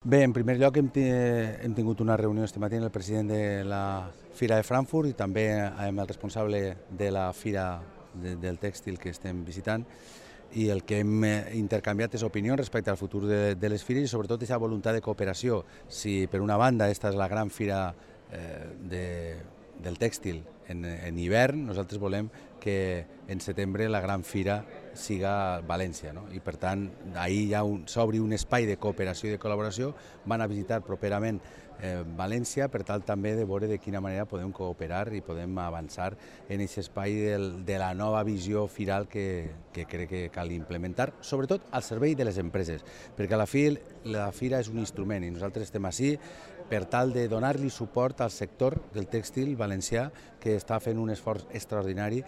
Bé, en primer lloc hem tingut una reunió este matí amb el president de la Fira de Frankfurt i també amb el responsable de la Fira del Tèxtil que estem visitant, i el que hem intercanviat és opinions respecte al futur de les fires i sobretot aquesta voluntat de cooperació. Si per una banda esta és la gran fira del tèxtil en hivern, nosaltres volem que en setembre la gran fira siga València, no? I per tant, ahir ja s'obri un espai de cooperació i de col·laboració. Van a visitar properament València per tal també de veure de quina manera podem cooperar i podem avançar en aquest espai de la nova visió firal que crec que cal implementar, sobretot al servei de les empreses, perquè a la fi la fira és un instrument i nosaltres estem ací per tal de donar-li suport al sector del tèxtil valencià, que està fent un esforç extraordinari.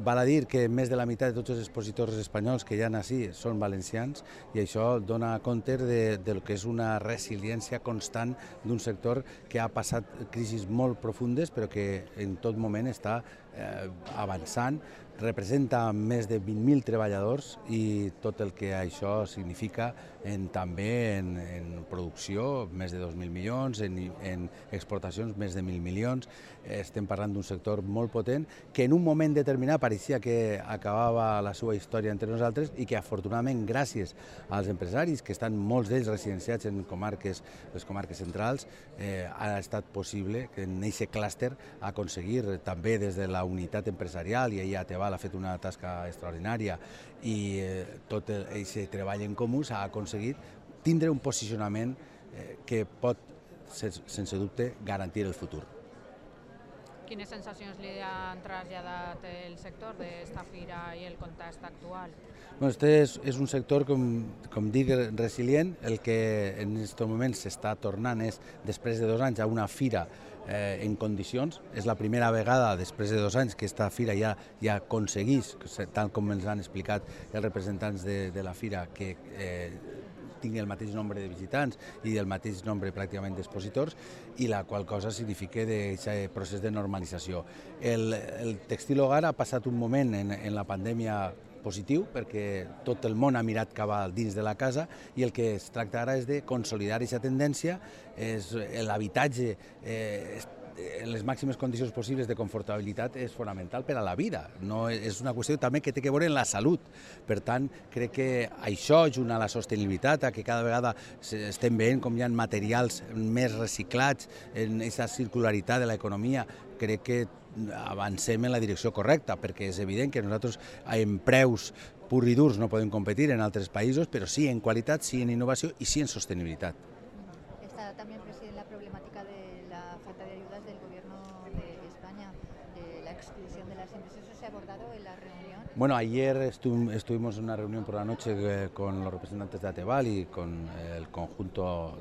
Val a dir que més de la meitat de tots els expositors espanyols que hi ha ací són valencians i això dona compte del que és una resiliència constant d'un sector que ha passat crisis molt profundes però que en tot moment està avançant, representa més de 20.000 treballadors i tot el que això significa també en producció, més de 2.000 milions, en exportacions, més de 1.000 milions. Estem parlant d'un sector molt potent que en un moment determinat pareixia que acabava la seva història entre nosaltres i que afortunadament gràcies als empresaris, que estan molts d'ells residenciats en les comarques centrals, ha estat possible que en aquest clúster aconseguir també des de la unitat empresarial, i ahir Ateval ha fet una tasca extraordinària i tot aquest treball en comú s'ha aconseguit tindre un posicionament que pot, sense dubte, garantir el futur. Quines sensacions li han traslladat el sector d'esta fira i el context actual? Este és un sector, com dic, resilient. El que en aquest moment s'està tornant és, després de 2 anys, a una fira en condicions. És la primera vegada, després de 2 anys, que aquesta fira ja aconsegueix, tal com ens han explicat els representants de la fira, que tingui el mateix nombre de visitants i el mateix nombre pràcticament d'expositors, i la qual cosa significa aquest procés de normalització. El tèxtil hogar ha passat un moment en la pandèmia positiu perquè tot el món ha mirat cap a dins de la casa i el que es tracta ara és de consolidar aquesta tendència. L'habitatge en les màximes condicions possibles de confortabilitat és fonamental per a la vida. No, és una qüestió també que té a veure amb la salut. Per tant, crec que això, junt a la sostenibilitat, a que cada vegada estem veient com hi ha materials més reciclats, en aquesta circularitat de l'economia, crec que avancem en la direcció correcta, perquè és evident que nosaltres en preus pur i durs no podem competir en altres països, però sí en qualitat, sí en innovació i sí en sostenibilitat. Está también, presidente, la problemática de la falta de ayudas del Gobierno de España, de la exclusión de las empresas. ¿Eso se ha abordado en la reunión? Bueno, ayer estuvimos en una reunión por la noche con los representantes de Ateval y con el conjunto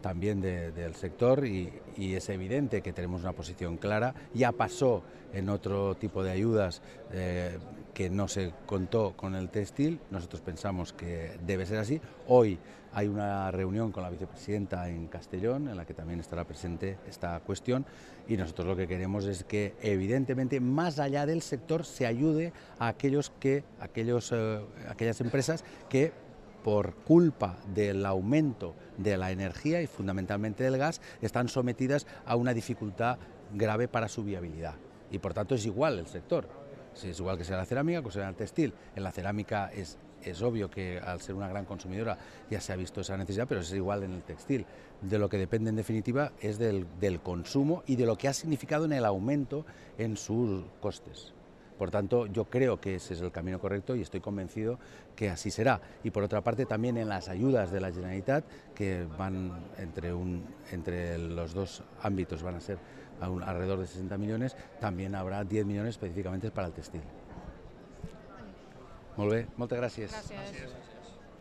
también del sector, y es evidente que tenemos una posición clara. Ya pasó en otro tipo de ayudas que no se contó con el textil. Nosotros pensamos que debe ser así. Hoy hay una reunión con la vicepresidenta en Castellón en la que también estará presente esta cuestión, y nosotros lo que queremos es que evidentemente más allá del sector se ayude a aquellas empresas que por culpa del aumento de la energía y fundamentalmente del gas están sometidas a una dificultad grave para su viabilidad. Y por tanto es igual el sector. Es igual que sea la cerámica, que sea el textil. En la cerámica es obvio que al ser una gran consumidora ya se ha visto esa necesidad, pero es igual en el textil. De lo que depende en definitiva es del consumo y de lo que ha significado en el aumento en sus costes. Por tanto, yo creo que ese es el camino correcto y estoy convencido que así será. Y por otra parte, también en las ayudas de la Generalitat, que van entre los dos ámbitos, van a ser alrededor de 60 millones, también habrá 10 millones específicamente para el textil. Molt bé, moltes gràcies. Gràcies.